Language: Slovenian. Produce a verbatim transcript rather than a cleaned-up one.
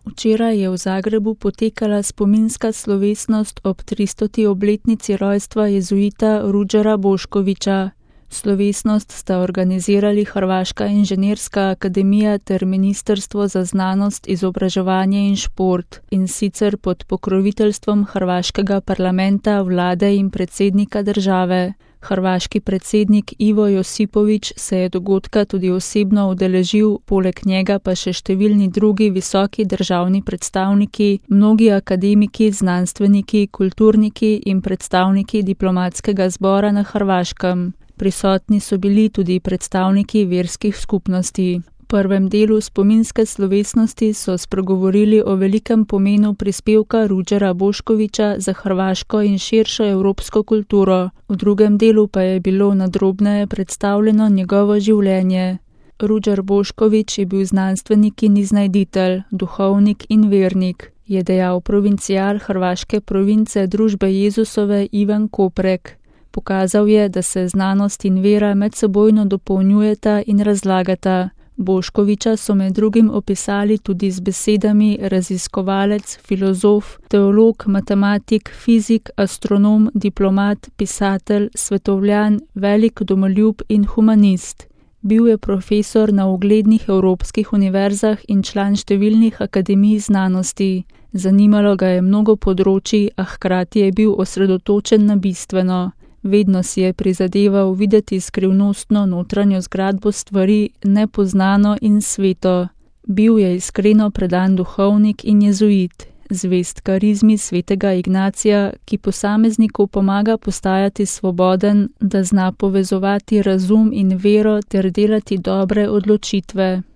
Včeraj je v Zagrebu potekala spominska slovesnost ob tristoti obletnici rojstva jezuita Ruđera Boškovića. Slovesnost sta organizirali Hrvaška inženirska akademija ter Ministrstvo za znanost, izobraževanje in šport, in sicer pod pokroviteljstvom hrvaškega parlamenta, vlade in predsednika države. Hrvaški predsednik Ivo Josipović se je dogodka tudi osebno udeležil, poleg njega pa še številni drugi visoki državni predstavniki, mnogi akademiki, znanstveniki, kulturniki in predstavniki diplomatskega zbora na Hrvaškem. Prisotni so bili tudi predstavniki verskih skupnosti. V prvem delu spominske slovesnosti so spregovorili o velikem pomenu prispevka Ruđera Boškovića za hrvaško in širšo evropsko kulturo. V drugem delu pa je bilo nadrobneje predstavljeno njegovo življenje. Ruđer Bošković je bil znanstvenik in iznajditelj, duhovnik in vernik, je dejal provincial hrvaške province Družbe Jezusove Ivan Koprek. Pokazal je, da se znanost in vera medsebojno dopolnjujeta in razlagata. Boškovića so med drugim opisali tudi z besedami raziskovalec, filozof, teolog, matematik, fizik, astronom, diplomat, pisatelj, svetovljan, velik domoljub in humanist. Bil je profesor na uglednih evropskih univerzah in član številnih akademij znanosti. Zanimalo ga je mnogo področij, a hkrati je bil osredotočen na bistveno. Vedno si je prizadeval videti skrivnostno notranjo zgradbo stvari, nepoznano in sveto. Bil je iskreno predan duhovnik in jezuit, zvest karizmi svetega Ignacija, ki posamezniku pomaga postajati svoboden, da zna povezovati razum in vero ter delati dobre odločitve.